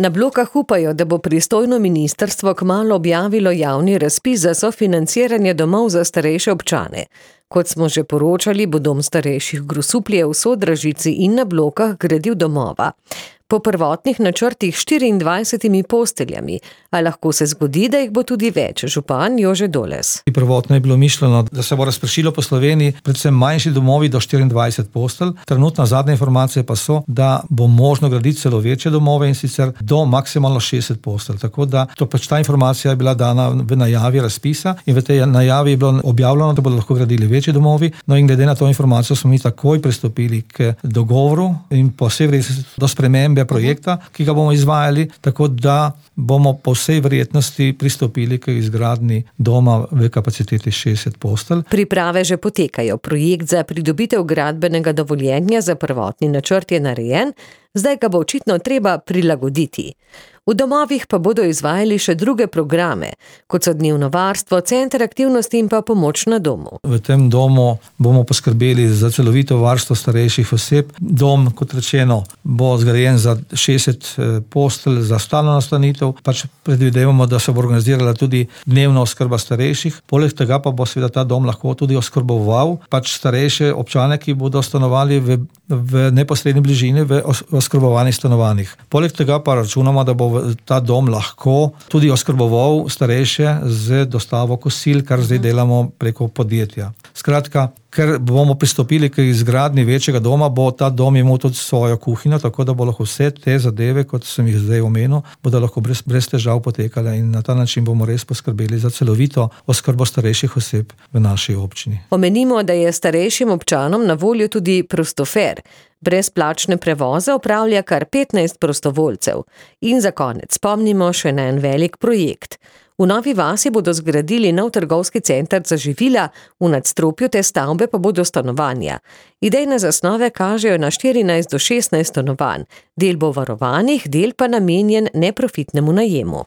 Na Blokah upajo, da bo pristojno ministrstvo kmalu objavilo javni razpis za sofinanciranje domov za starejše občane. Kot smo že poročali, bo dom starejših Grosuplje v Sodražici in na Blokah gradil domova. Po prvotnih načrtih 24 posteljami, a lahko se zgodi, da jih bo tudi več. Župan Jože Doles. Prvotno je bilo mišljeno, da se bo razpršilo po Sloveniji, predvsem manjši domovi do 24 postelj. Trenutno zadnje informacije pa so, da bo možno graditi celo večje domove in sicer do maksimalno 60 postelj. Tako da ta informacija je bila dana v najavi razpisa in v tej najavi je bilo objavljeno, da bodo lahko gradili večji domovi. No in glede na to informacijo smo mi takoj pristopili k dogovoru in po vsej verjetnosti do spremembe projekta, ki ga bomo izvajali, tako da bomo po vsej verjetnosti pristopili k izgradnji doma v kapaciteti 60 postelj. Priprave že potekajo. Projekt za pridobitev gradbenega dovoljenja za prvotni načrt je narejen, zdaj ga bo očitno treba prilagoditi. V domovih pa bodo izvajali še druge programe, kot so dnevno varstvo, center aktivnosti in pa pomoč na domu. V tem domu bomo poskrbeli za celovito varstvo starejših oseb. Dom, kot rečeno, bo zgrajen za 60 postelj za stalno nastanitev. Predvidevamo, da se bo organizirala tudi dnevna oskrba starejših. Poleg tega pa bo seveda ta dom lahko tudi oskrboval starejše občane, ki bodo stanovali v neposredni bližini v oskrbovanih stanovanjih. Poleg tega pa računamo, da bo ta dom lahko tudi oskrboval starejše z dostavo kosil, kar zdaj delamo preko podjetja. Skratka, ker bomo pristopili k izgradnji večjega doma, bo ta dom imel tudi svojo kuhinjo, tako da bo lahko vse te zadeve, kot sem jih zdaj omenil, bodo lahko brez težav potekale in na ta način bomo res poskrbeli za celovito oskrbo starejših oseb v naši občini. Omenimo, da je starejšim občanom na voljo tudi prostofer. Brezplačne prevoze opravlja kar 15 prostovoljcev. In za konec spomnimo še na en velik projekt. V Novi vasi bodo zgradili nov trgovski center za živila, v nadstropju te stavbe pa bodo stanovanja. Idejne zasnove kažejo na 14 do 16 stanovanj. Del bo varovanih, del pa namenjen neprofitnemu najemu.